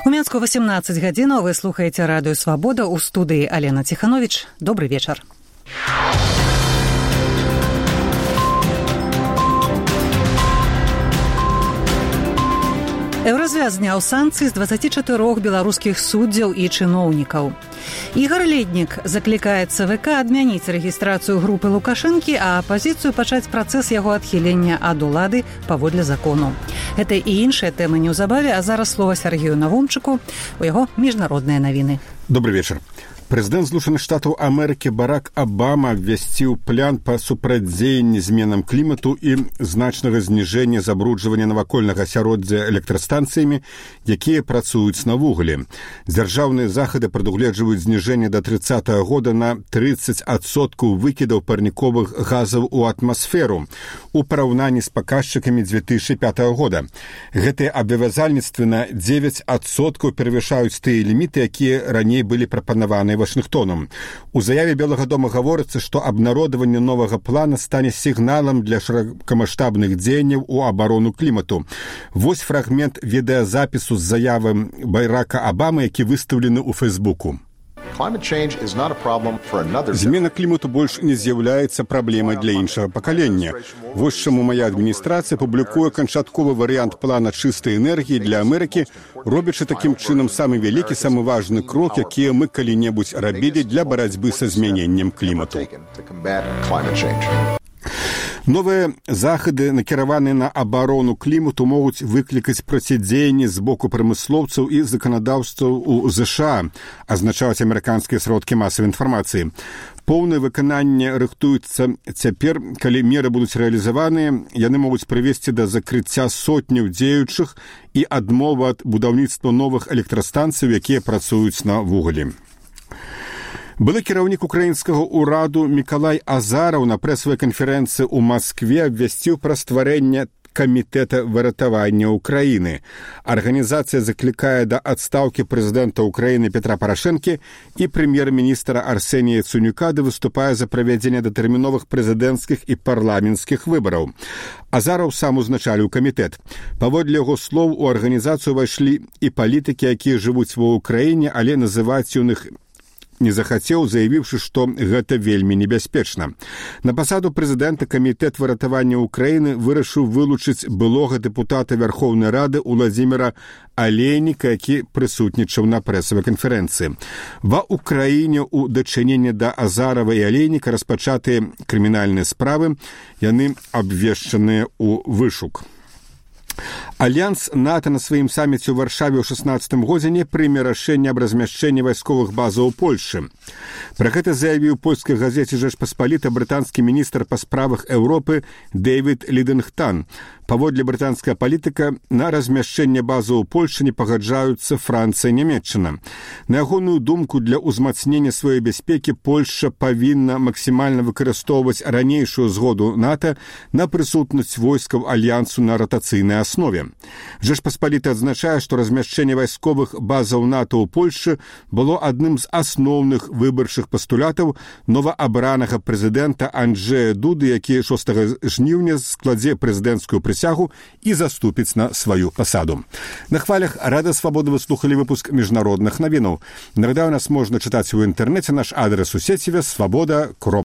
У Мінску 18 гадзінаў. Вы слухаеце радыё «Свабода». У студыі Алена Ціхановіч. Добрый вечар. Еўразвяз зняў санкцыі з 24 беларускіх суддзяў і чыноўнікаў. Ігор Леднік заклікае ЦВК адмяніць рэгістрацыю групы Лукашэнкі, а апазіцыю пачаць працэс яго адхілення ад улады паводле закону. Гэта і іншыя тэмы неўзабаве, а зараз слова Сергею Навумчыку, у яго міжнародныя навіны. Добрый вечар. Прэзідэнт Злучаных Штатаў Амерыкі Барак Абама абвясціў план па супрацьдзеянні зменам клімату і значнага зніжэння забруджвання навакольнага асяроддзя электрастанцыямі, якія працуюць на вуглі. Дзяржаўныя захады прадугледжваюць зніжэнне да 30-го года на 30% выкідаў парніковых газаў у атмасферу у параўнанні з паказчыкамі 2005 года. Гэтыя абавязальніцтвы на 9% перавышаюць тыя ліміты, якія раней былі прапанаваны Вашынгтонам. У заяве Белага дома гаворыцца, што абнародаванне новага плана стане сігналам для шырокамаштабных дзеянняў у абарону клімату. Вось фрагмент відэазапісу з заявы Барака Абамы, які выстаўлены ў Фэйсбуку. Змена клімату больш не з'яўляецца праблемай для іншага пакалення. Вось чаму мая адміністрацыя публікуе канчатковы варыянт плана чыстай энергіі для Амерыкі, робячы такім чынам самы вялікі, самы важны крок, які мы калі-небудзь рабілі для барацьбы са змяненнем клімату. Новыя захады, накіраваныя на абарону клімату, могуць выклікаць процідзеянне з боку прамыслоўцаў і заканадаўцаў у ЗША, азначаюць амерыканскія сродкі масавай інфармацыі. Поўнае выкананне рыхтуецца цяпер, калі меры будуць рэалізаваныя, яны могуць прывесці да закрыцця сотняў дзеючых і адмовы ад будаўніцтва новых электрастанцый, якія працуюць на вуглі. Былы кіраўнік украінскага ўраду Мікалай Азараў на прэсавай канферэнцыі ў Маскве абвясціў пра стварэнне камітэта выратавання Украіны. Арганізацыя заклікае да адстаўкі прэзідэнта Украіны Петра Парашэнкі і прэм'ер-міністра Арсенія Яценюка, ды выступае за правядзенне датэрміновых прэзідэнцкіх і парламенцкіх выбараў. Азараў сам узначаліў камітэт. Паводле яго слоў, у арганізацыю ўвайшлі і палітыкі, якія жывуць ва ўкраіне, але называць ён іх не захацеў, заявіўшы, што гэта вельмі небяспечна. На пасаду прэзідэнта камітэт выратавання Украіны вырашыў вылучыць былога дэпутата Вярхоўнай Рады Уладзіміра Алейніка, які прысутнічаў на прэсавай канферэнцыі. Ва Украіне ў дачыненні да Азарава і Алейніка распачатыя крымінальныя справы, яны абвешчаныя ў вышук. Альянс НАТО на сваім саміце ў Варшаве ў 16 годзе не прыме рашэнне аб размяшчэнні вайсковых базаў у Польшы. Пра гэта заявіў польскай газеце «Жэчпаспаліта» брытанскі міністр па справах Еўропы Дэвід Лідынгтан. Паводле брытанская палітыка, на размяшчэнне базаў у Польшы не пагаджаюцца Францыя і Нямецчына. На ягоную думку, для ўзмацнення сваёй бяспекі Польшча павінна максімальна выкарыстоўваць ранейшую згоду НАТО на прысутнасць войскаў альянсу на ратацыйнай аснове. Жэчпаспаліта адзначае, што размяшчэнне вайсковых базаў НАТО ў Польшы было адным з асноўных выбарчых пастулятаў новаабранага прэзідэнта Анджэя Дуды, які 6 жніўня складзе прэзідэнцкую прысягу і заступіць на сваю пасаду. На хвалях Радыё Свабода вы слухалі выпуск міжнародных навінаў. Нагадаю, нас можна чытаць у інтэрнэце, наш адрес у сеціве свабода.ру.